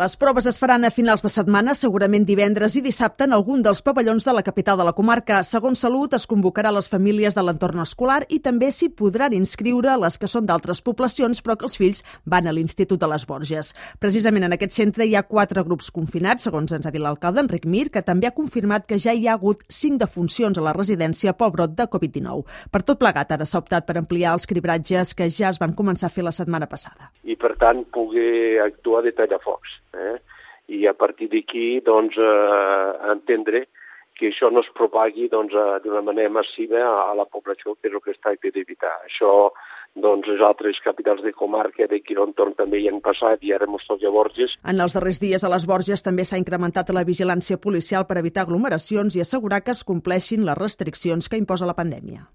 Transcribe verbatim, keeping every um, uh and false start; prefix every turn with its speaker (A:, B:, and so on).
A: Les proves es faran a finals de setmana, segurament divendres i dissabte, en algun dels pavellons de la capital de la comarca. Segons Salut, es convocarà les famílies de l'entorn escolar i també s'hi podran inscriure les que són d'altres poblacions, però que els fills van a l'Institut de les Borges. Precisament en aquest centre hi ha quatre grups confinats, segons ens ha dit l'alcalde Enric Mir, que també ha confirmat que ja hi ha hagut cinc defuncions a la residència pel brot de covid dinou. Per tot plegat, ara s'ha optat per ampliar els cribratges que ja es van començar a fer la setmana passada.
B: I, per tant, poder actuar de tallafocs. Eh? I a partir d'aquí, doncs, eh, entendre que això no es propagui doncs, d'una manera massiva a, a la població, que és el que es tracta d'evitar. Això, doncs, les altres capitals de comarca d'aquí l'entorn també hi han passat i ara mos toca a Borges.
A: En els darrers dies a les Borges també s'ha incrementat la vigilància policial per evitar aglomeracions i assegurar que es compleixin les restriccions que imposa la pandèmia.